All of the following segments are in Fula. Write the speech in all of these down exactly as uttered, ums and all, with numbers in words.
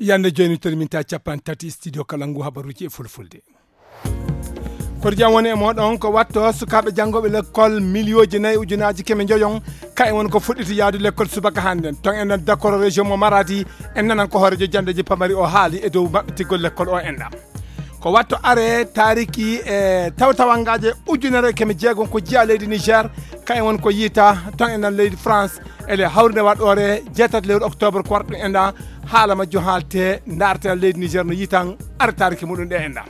Yande jooni terminta capan tati studio kala ngu habaruji e fulfulde. Kordian woni e moɗon ko watto sukaaɓe janngooɓe lekkol miliyooji nayi ujunaaji keme njoyon, ka e won ko fuɗɗiti yaadu lekkol subaka hannden. Ton en nan dakoro région mo Maradi, en nanan ko hoorejo janndeji pamari o haali e dow maɓɓitigol lekkol o enɗa. Ko watto are taariki e tawtawangaaje ujunere keme jeegom ko jeyaa leydi Niger, ka e won ko yiita ton en nan leydi France, ele hawrinde waɗoore jeetati lewru octobre ko warɗo enɗa, haala majjo haalte ndaarte leydi Niger no yiitan are taariki muɗum ɗe enɗa.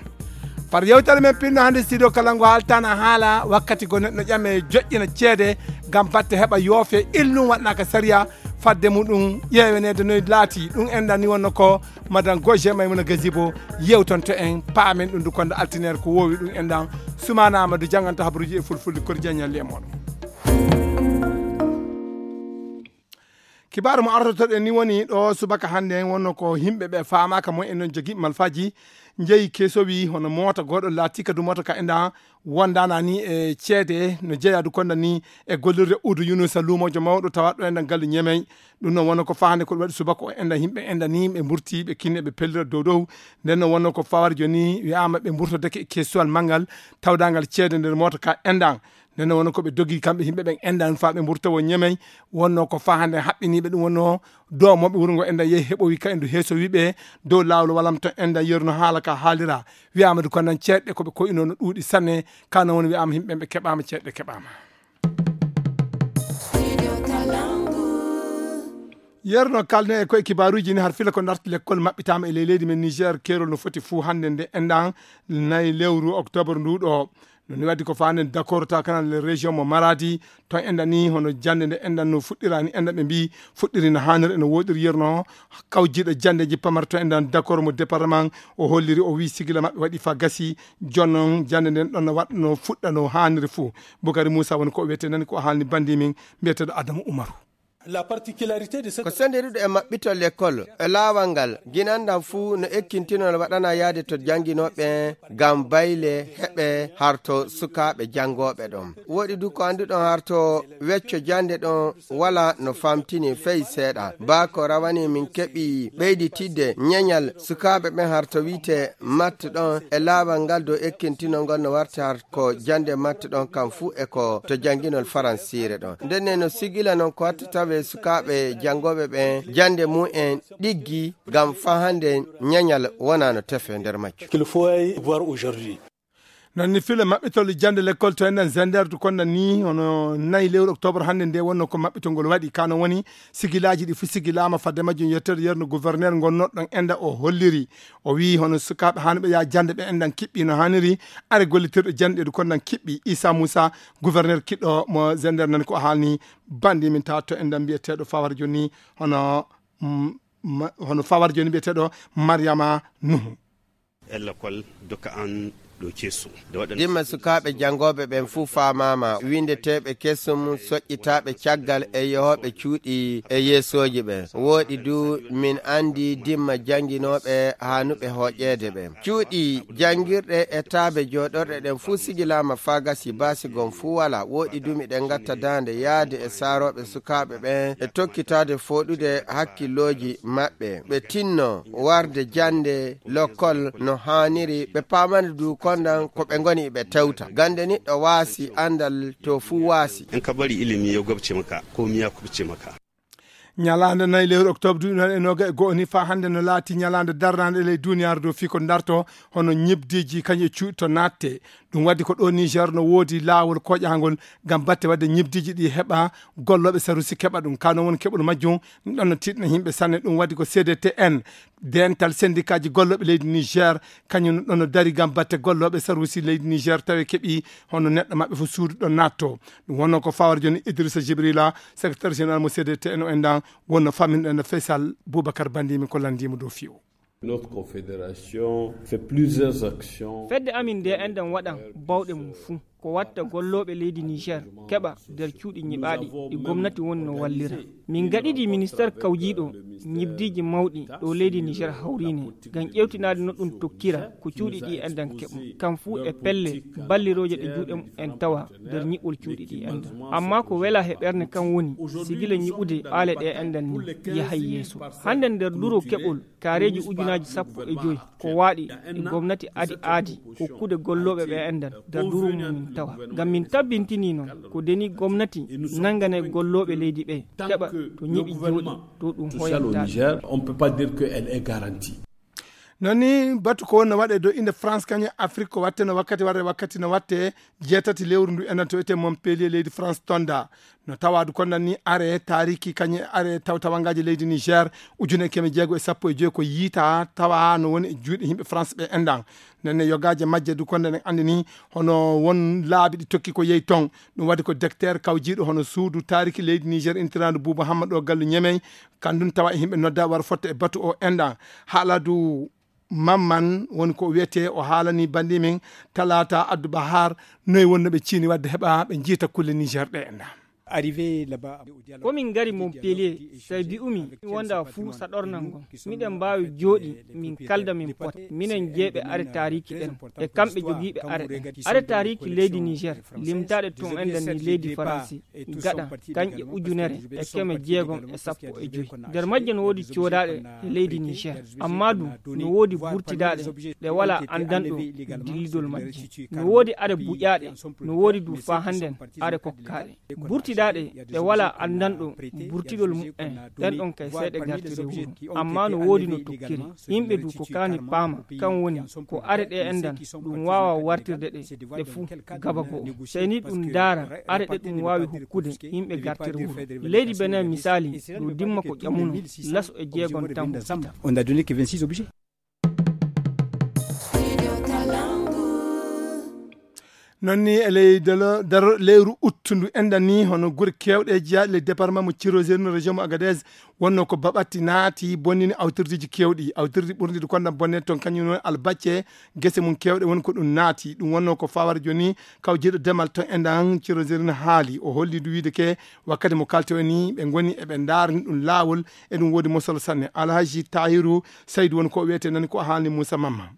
Par yewtere men pinno hannde studio kala ngo haaltana haala wakkati go neɗɗo ƴame joƴƴina ceede ngam batte heɓa yoofe illum waɗnaka sariya fadde muɗum ƴeeweneede noy laati ɗum enɗan ni wonno ko madame Goje Maymuna Gazibo yewtonto en paamen ɗum du konda altineer ko wowi ɗum enɗan. Sumana Amadou janganta habaruji e fulfulde kori jaññalli e moɗon. Kibaaru mo artotoɗen ni woni ɗo subaka hannde en wonno ko yimɓe ɓe faamaaka mo en non jogiiɓe malfaaji njeyi keesowi hono moota gooɗo laatika du moota ka enɗa wondana ni e ceede no jeeya du konda ni e gollirde udu Yunusa luumoojo mawɗo tawaɗo enɗan gallu ñemey. Ɗum noon wonno ko fahande ko waɗi subaka o enɗan yimɓe enɗan ni ɓe mburti ɓe kinne ɓe pellira dow dow. Nden noon wonno ko fawar jooni wiyaama ɓe mburtodeke e keesuwal manngal tawdangal ceede nder moota ka enɗan. Nden noon wonno ko ɓe dogi kamɓe yimɓe ɓen enɗan faa ɓe mburta wo ñemey. Wonno ko fahande haɓɓiniiɓe ɗum wonno dow moɓe wuro ngo enɗan yehi heɓowi ka endu heesowiɓe dow laawol walam ton enɗan yeru no haala ka haalira. Wiyaama du kondan ceeɗɗe ko ɓe koyinoo no ɗuuɗi sanne. Kano woni wiyaama yimɓe ɓe keɓaama ceeɗɗe keɓaama. Yerno kalne e koye kibaaruuji ni har fila ko darti lekkol maɓɓitaama e ley leydi men Niger keerol no foti fuu hannde nde enɗan nayi lewru octobre ndu ɗo. No ni waddi ko faanden d'accord ta kanal le région mo Maradi ton enɗan ni hono jannde nde enɗan no fuɗɗirani enɗan ɓe mbi fuɗɗiri no haanir eno woɗiri yerno kawjiɗo janndeji pamar to enɗan d'accord mo département o holliri o wi sigila maɓɓe waɗi fa gasi. Jonnon jannde nden ɗon no waɗno fuɗɗa no haaniri fuu. Bukari Moussa woni ko o wiyete nani ko haalni bandi min mbiyeteɗo Adamu Umaru. La particularité de cette Ko sendiruɗo e maɓɓito lekkol e laawal ngal ginanɗam fuu no ekkintinol waɗana yaade to jannginooɓe ngam bayle heɓe harto sukaaɓe janngooɓe ɗon. Woɗi du ko annduɗon harto wecco jannde ɗon wala no famtini fey seeɗa. Ba ko rawani min keɓi ɓeyditidde ñeñal sukaaɓe ɓen harto wiite matte ɗon e laawal ngal dow ekkintinol ngol no warti har ko jannde matte ɗon kam fuu e ko to jannginol faransiire ɗon. Ndenne no sigila non ko watta tawe sukaaɓe janngooɓe ɓen jannde mum en ɗiggi ngam faa hannde ñeñal wonaa no tefe nder majjum. Qu'il faut voir aujourd'hui. Non ni fila maɓɓitol jannde lekkol to enɗan zenderdu konɗan ni hono nayi lewru octobre hannde nde wonno ko maɓɓitol ngol waɗi kano woni sigilaaji ɗi fof sigilaama fadde majjum yettere yerno gouverneur ngonnoɗon enɗa o holliri o wii hono sukaaɓe hanuɓe yaa jannde ɓe enɗan kiɓɓi no haaniri are gollitirɗo jannde ɗu konɗan kiɓɓi Issa Moussa gouverneur kiɗɗo mo zender nani ko haalni bandi min tawa to enɗan mbiyeteɗo fawar joni hono mm, ma- hono fawar joni mbiyeteɗo Mariama Nuhu. Ella kol doka an ɗo ceesu nde waɗan Dimma sukaaɓe janngooɓe ɓen fuu faamaama, winndeteeɓe kesum, soƴƴitaaɓe caggal e yehooɓe cuuɗi e yeesooji ɓen. Wooɗi du min anndi dimma jannginooɓe haanuɓe hooƴeede ɓen. Cuuɗi janngirɗe e taabe jooɗorɗe ɗen fuu sigilaama faa gasi baasi gom fuu walaa. Wooɗi du miɗen ngatta daande yaade e saarooɓe sukaaɓe ɓen e tokkitaade fooɗude hakkillooji maɓɓe. Ɓe tinno warde jannde lokkol no haaniri ɓe paamani du kondan ko ɓe ngoni ɓe tewta gande niɗɗo waasi andal to fuu waasi. In ka bari ilimi ya gwabce maka ko miya kubce maka. Ñalaande nayi lewru octobre duuɓi noon e noga e go'o ni faa hannde no laati ñalaande darnaande e ley duuniyaaru dow fii ko darto hono ñibdiiji kañum e cuuɗi to naatte. Ɗum waddi ko ɗo Niger no woodi laawol koƴahangol ngam batte wadde ñibdiiji ɗi heɓa gollooɓe sarusi keɓa ɗum kano woni keɓol majjum. Ɗum ɗon no tiiɗna yimɓe sanne ɗum waddi ko cdtn dental sendikaaji gollooɓe leydi Niger kañum ɗon no dari ngam batte gollooɓe sarusi leydi Niger tawi keɓi hono neɗɗo maɓɓe fof suudu ɗo naatto. Ɗum wonno ko fawar joni Idrissa Jibrila secrétaire général mo cdtn o endan wonno faminɗen no Faisal Boubacar Bandimi ko lanndimo dow fiyo. Notre confédération fait plusieurs actions. Fedde amin nde enɗen waɗan bawɗe mum fuu. Ko watta gollooɓe leydi Niger keɓa nder cuuɗi ñiɓaaɗi ɗi gomnati woni no wallira. Min gaɗidi ministeer kawjiiɗo ñibdiiji mawɗi ɗo leydi Niger hawriine ngam ƴeewtinaade no ɗum tokkira ko cuuɗi ɗi enɗan keɓa. Kam fuu e pelle ballirooje ɗe juuɗe mum en tawa nder ñiɓol cuuɗi ɗi enɗan. Amma ko wela he ɓernde kan woni sigila ñiɓude ɓaale ɗe enɗan ni yahay yeeso. Hannde nder duro keɓol kaareeji ujunaaji sappo e joy ko waaɗi e gomnati adi aadi kokkude gollooɓe ɓe enɗan nder duro mum min tawa. Ngam min tabbintini noon ko deni gomnati nangane gollooɓe leydi ɓe keɓa to ñiɓi jooɗi to ɗum hoyantaɓe. Noon ni batu ko wonno waɗe dow inde France kañum Afrique ko watte no wakkati warre wakkati no watte jeetati lewru ndu enen to wiyetee Montpellier leydi France tonda. No tawa du kondan ni are taariki kañum are tawtawangaaji leydi Niger ujune keme jeego e sappo e joyi ko yiita tawa no woni e juuɗe yimɓe France ɓe enɗan. Nenne yogaaje majje du kondan en anndi ni hono won laabi ɗi tokki ko yehi ton. Ɗum waɗi ko docteur kawjiiɗo hono suudu taariki leydi Niger intiraandu Buuba Hamma ɗo gallu Ñemey. Kanndun tawa e yimɓe nodda war fotta e batu o enɗan. Haala du Mamman woni ko wiyetee o haalani bandi min talaata addu bahar noy wonno ɓe ciini wadde heɓa ɓe jiita kulle Niger ɗe enɗan. Ko min ngari Montpellier, sai bi'umi mi wonda fuu saɗornan ngon. Miɗen mbaawi jooɗi min kalda min pota. Minen jeeɓe are taariki ɗen e kamɓe jogiiɓe are ɗen. Are taariki leydi Niger limtaaɗe tun enɗan ni leydi Faransi gaɗa kanƴe ujunere e keme jeegom e sappo e joyi. Nder majje no woodi coodaaɗe e leydi Niger. Amma du no woodi burtidaaɗe ɗe walaa anndanɗo dillidol majje. No woodi are buƴaaɗe, no woodi du faa hannden are kokkaaɗe. Burtidaaɗe ɗe walaa anndanɗo burtidol mu'en ɗen ɗon kay seeɗe gartiri wuro. Amma no woodi no tokkiri. Yimɓe du ko kaani paama kan woni ko are ɗe enɗan ɗum waawa wartirde ɗe ɗe fuu gaba goo. Sey ni ɗum ndaara are ɗe ɗum waawi hokkude yimɓe gartiri wuro. Leydi Benin misaali ɗum dimma ko ƴamuno laso e jeegon tan. Noon ni e ley delo daro lewru uttundu enɗan ni hono gure keewɗe jeyaaɗe ley département mo Tiroséri no région mo Agadez wonno ko baɓatti naati bonnini awtirdiiji keewɗi awtirdi ɓurndi du kondan bonne toon kañum woni albacce gese mum keewɗe woni ko ɗum naati ɗum wonno ko fawar jooni kawjiiɗo demal toon enɗan Tiroséri no haali o holli du wiide ke wakkati mo kalti o ni ɓe ngoni eɓe ndaarani ɗum laawol e ɗum woodi mosol sanne alhaji tahiru saydu woni ko wiyete nani ko haalni moussa mamma.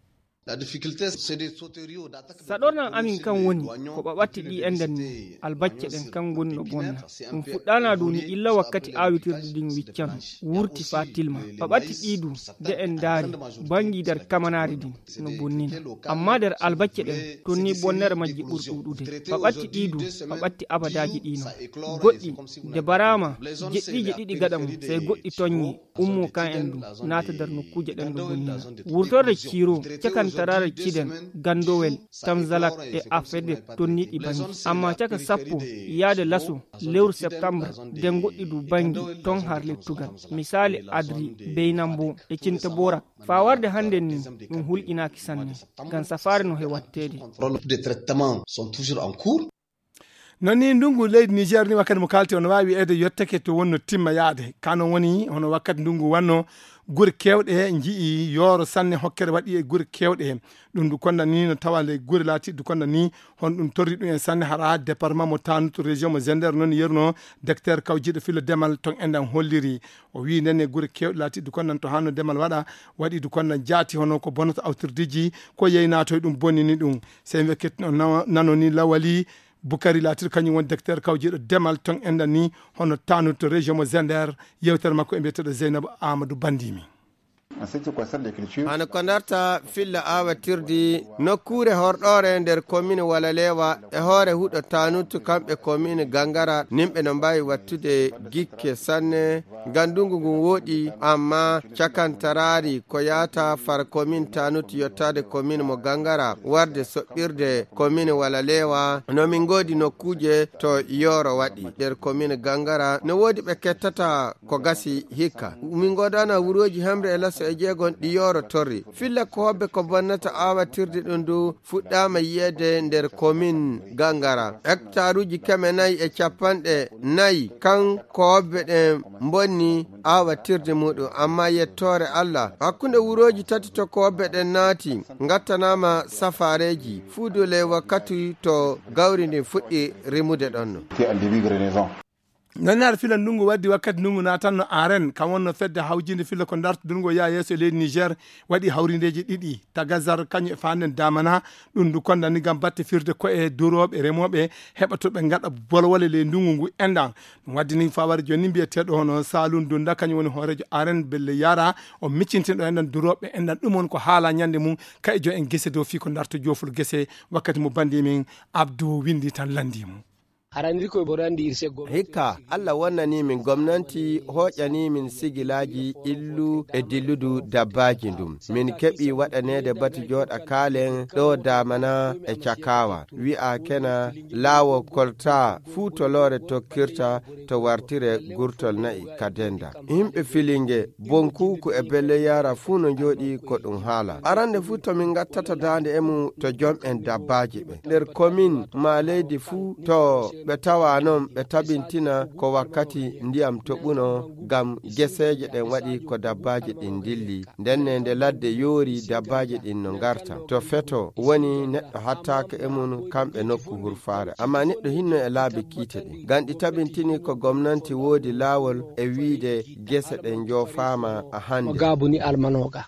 Saɗornan amin kan woni ko ɓaɓatti ɗi enɗan ni albacce ɗen kan ngoni no bonna. Ɗum fuɗɗana dow ni illa wakkati awitirde ɗin wiccano wurti faa tilma. Ɓaɓatti ɗi du de en ndaari banngi nder kamanaari din no bonnina. Amma nder albacce ɗen ton ni bonnere majji ɓuri ɗuuɗude. Ɓaɓatti ɗi du ɓaɓatti abadaaji ɗi non. Goɗɗi de baraama jeɗɗiije ɗiɗi gaɗa mum sey goɗɗi tonñe ummo kan en du naata nder nokkuuje ɗen no bonnina. Wurtorde ciiro cakantaraare ciden gandowel tamzalak e afede tonniɗi bangi amma caka sappo yaade laso lewru septembre de goɗɗi du bangi ton har lettugal. Misali adri beynambo e cinta borak faa warde hannden ni ɗum hulƴinaaki sanne. Ngam safaare no he watteede. Noon ni ndunngu leydi Niger ni wakkati mo kaalti on waawi wiyeede yottake to wonno timma yaade ka noon woni hono wakkati ndunngu wanno gure keewɗe nji'i yooro sanne hokkere waɗi e gure keewɗe. Ɗum du konda ni no tawa ley gure laatiɗi du konda ni hono ɗum torri ɗum en sanne hara département mo tanutu région mo zender noon yerno docteur kawjiiɗo filo demal ton enɗan holliri. O wii nden e gure keewɗe laatiɗi du kondan to hanno demal waɗa waɗi du kondan jaati hono ko bonata awtirdiiji ko yeynaato e ɗum bonnini ɗum. Sey wekketino nano ni lawali bukari laatiɗo kañum woni docteur kawjiiɗo demal ton enɗan ni hono tanude to région mo zender. Yewtere makko e mbiyeteɗo zeynabu amadou bandimi. Hano ko ndarta filla awatirdi nokkuure horɗoore nder commune walalewa e hoore huɗo tanutu kamɓe commune gangara nimɓe no mbawi wattude gikke sanne. Ngam ndungu ngun wooɗi amma cakantaraari ko yaata far komin tanut yottaade komin mo gangara warde soɓɓirde komin wala leewa. No min ngoodi nokkuuje to yooro waɗi nder komin gangara no woodi ɓe kettata ko gasi hikka. Min ngoodana wurooji hemre e las. So e jeegon ɗi yooro torri. Filla koobbe ko bonnata aawatirde ɗum ndu fuɗɗaama yiyeede nder komin Gangara. Hektaruuji keme nayi e capanɗe nayi kan koobbe ɗen mbonni aawatirde muɗum, amma yettoore Allah, hakkunde wurooji tati to koobbe ɗen naati, ngattanaama safaareeji, fuuduule wakkati to gawri ndin fuɗɗi rimude ɗon no. Nanaare fila ndungu waddi wakkati ndungu naatanno aren, kam wonno fedde hawjinde fila ko dartudungo yaa yeeso e leydi Niger, waɗi hawrindeeji ɗiɗi, Tagazar kañum e Fanden Damana, ɗum ndu kondani ngam batte firde ko e durooɓe remooɓe heɓa to ɓe ngaɗa bolwole ley ndungu ngu enɗan. Ɗum waddi ni fawari jooni ni mbiyeteeɗo hono Saalum Dunda, kañum woni hooreejo aren belle yara, o miccintinɗo enɗan durooɓe enɗan, ɗum woni ko haala ñande mum, ka e jo en gese dow fii ko darto joofol gese, wakkati mo bandi min Abdou windi tan landi mum. Hikka, Allah wonnanii min gomnanti, hooƴanii min sigilaaji illu e dilludu dabbaaji ndum. Min keɓi waɗaneede batu jooɗa kaalen ɗo Damana e Cakaawa. Wi'a kena laawo kolta fuu to loore tokkirta to wartire gurtol na'i ka denda. Yimɓe Filinge, Bonkuuku e Belle Yara fuu no njooɗii ko ɗum haala. Arande fuu to min ngattata daande e mum to jom en dabbaaji ɓe. Nder komin maa leydi fuu to ɓe tawa non ɓe tabintina ko wakkati ndiyam toɓuno ngam geseeje ɗen waɗi ko dabbaaji ɗin ndilli. Ndenne nde ladde yoori dabbaaji ɗin no ngarta. To feto woni neɗɗo hattaaka e mum kamɓe nokku hurfaare. Amma neɗɗo hinno e laabi kiite ɗin. Ngam ɗi tabintini ko gomnanti woodi laawol e wiide gese ɗen njoofaama a hannde. Gaabu ni almanooga.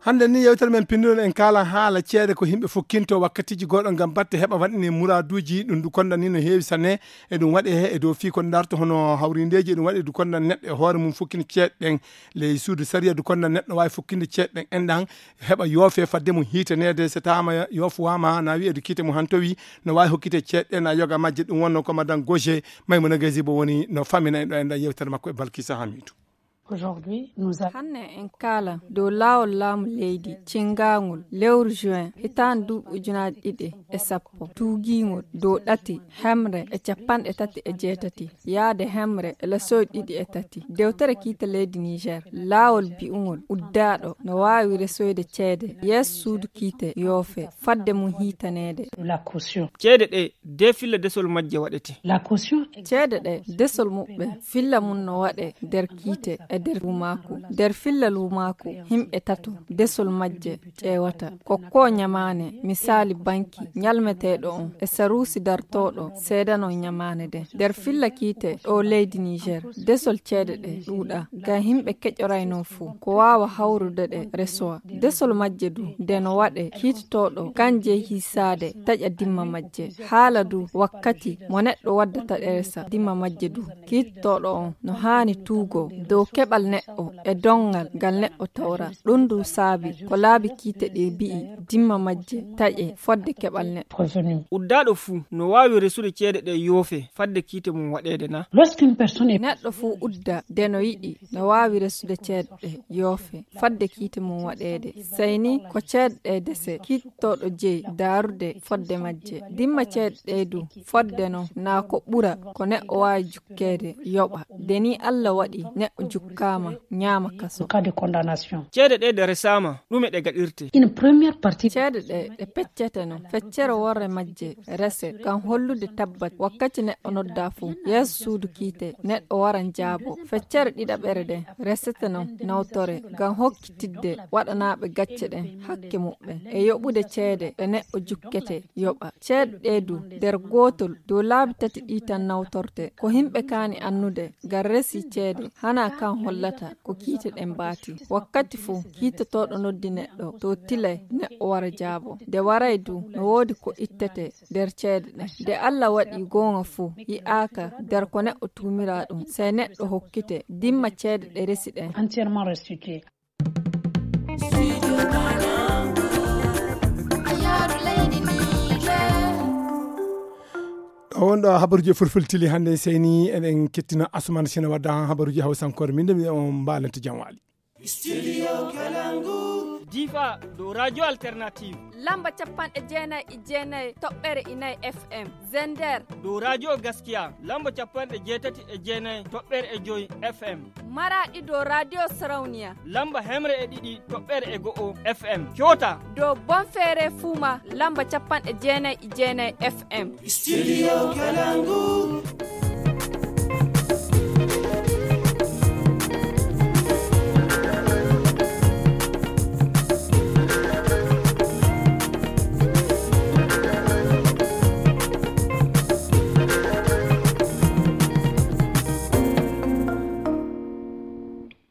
Hannde ni yewtere men pinndunoo en kaala haala ceede ko yimɓe fukkinto wakkatiiji goɗɗo ngam batte heɓa waɗine muraaduuji ɗum ndu konda ni no heewi sanne. E ɗum waɗe he e dow fii ko darto hono hawrindeeji, e ɗum waɗe du konda neɗɗo e hoore mum fukkina ceeɗe ɗen. Ley suudu sariya du konda neɗɗo waawi fukkinde ceeɗe ɗen enɗan heɓa yoofe fadde mum hiitaneede, so taama yoofuwaama na wi'e du kiite mum hantowi, no waawi hokkite ceeɗe na yoga majje. Ɗum wonno ko madan Goje Maymuna Gazibo woni no famina en ɗo e nder yewtere makko e Balkisa Hamidu. Hanne en kaala dow laawol laamu leydi cinngangol lewru juin hitaande duuɓi ujunaaji ɗiɗi e sappo, tuugiingol dow ɗati hemre e capanɗe tati e jeetati yaade hemre e lesoy ɗiɗi e tati. Dewtere kiite leydi Niger, laawol bi'ungol uddaaɗo no waawi resoyde ceede yeeso suudu kiite yoofe fadde mum hiitaneede. Ceede ɗe de filla desol majje waɗete. Ceede ɗe desol muɓɓe filla mum no waɗe nder kiite e nder luumaaku. Nder filla luumaaku, yimɓe tato desol majje ƴeewata. Ko ko ñamaane, misaali banki, ñalmeteeɗo on, e saruusi dartooɗo seedanon ñamaane ɗen. Nder filla kiite ɗo leydi Niger, desol ceede ɗe ɗuuɗa, ngam yimɓe keƴoraynoo fow, ko waawa hawrude ɗe resowa. Desol majje du, nde no waɗe, kiitotooɗo kan jeyi hiisaade taƴa dimma majje. Haala du wakkati mo neɗɗo waddata ɗe resa dimma majje du. Kiittooɗo on no haani tuugoo dow keɓal neɗɗo e donngal ngal neɗɗo tawra. Ɗum ndu saabi ko laabi kiite ɗi mbi'i dimma majje taƴe fodde keɓal neɗɗo. Uddaaɗo fuu no waawi resude ceede ɗe yoofe fadde kiite mum waɗeede na? Neɗɗo fuu udda de no yiɗi no waawi resude ceede ɗe yoofe fadde kiite mum waɗeede. Sey ni ko ceede ɗe dese kiittooɗo jeyi daarude fodde majje. Dimma ceede ɗe du fodde non na ko ɓura ko neɗɗo waawi jukkeede yoɓa. De ni Allah waɗi neɗɗo jukkaama ñaama kaso. Ceede ɗe de resaama, ɗume ɗe gaɗirte? Ceede ɗe ɗe peccete non, feccere worre majje rese ngam hollude tabbat wakkati neɗɗo noddaa fuu yeeso suudu kiite neɗɗo wara jaabo. Feccere ɗiɗaɓere ɗen resete non nawtore ngam hokkitidde waɗanaaɓe gacce ɗen hakke muɓɓen e yoɓude ceede ɗe neɗɗo jukkete yoɓa. Ceede ɗe du nder gootol dow laabi tati ɗi tan nawtorte. Ko yimɓe kaani annude ngam resi ceede hana kan hollata ko kiite ɗen mbaati. Wakkati fuu kiitotooɗo noddi neɗɗo to tilay neɗɗo wara jaabo. Nde waray du no woodi ko ittete nder ceede ɗen. Nde Allah waɗi goonga fuu yi'aaka nder ko neɗɗo tuumiraa ɗum, sey neɗɗo hokkite dimma ceede ɗe resi ɗen. Ɗo wonɗo habaruji e fulfultili hannde, seyni eɗen kettina Asuman Sina wadda habaruji hawsankore. Min de mi on mbaalante jam waali. Studio Kalangu. Difa dow Radio Alternative. Lamba capanɗe jeenayi e jeenayi toɓɓere inayi F M. Zender. Dow Radio Gaskiya, lamba capanɗe jeetati e jeenayi toɓɓere e joyi F M. Maraɗi dow Radio Sarauniya. Lamba hemre e ɗiɗi toɓɓere e go'o F M. Kyoto. Dow Bonfere Fuma, lamba capanɗe jeenayi e jeenayi F M. Studio Kalangu.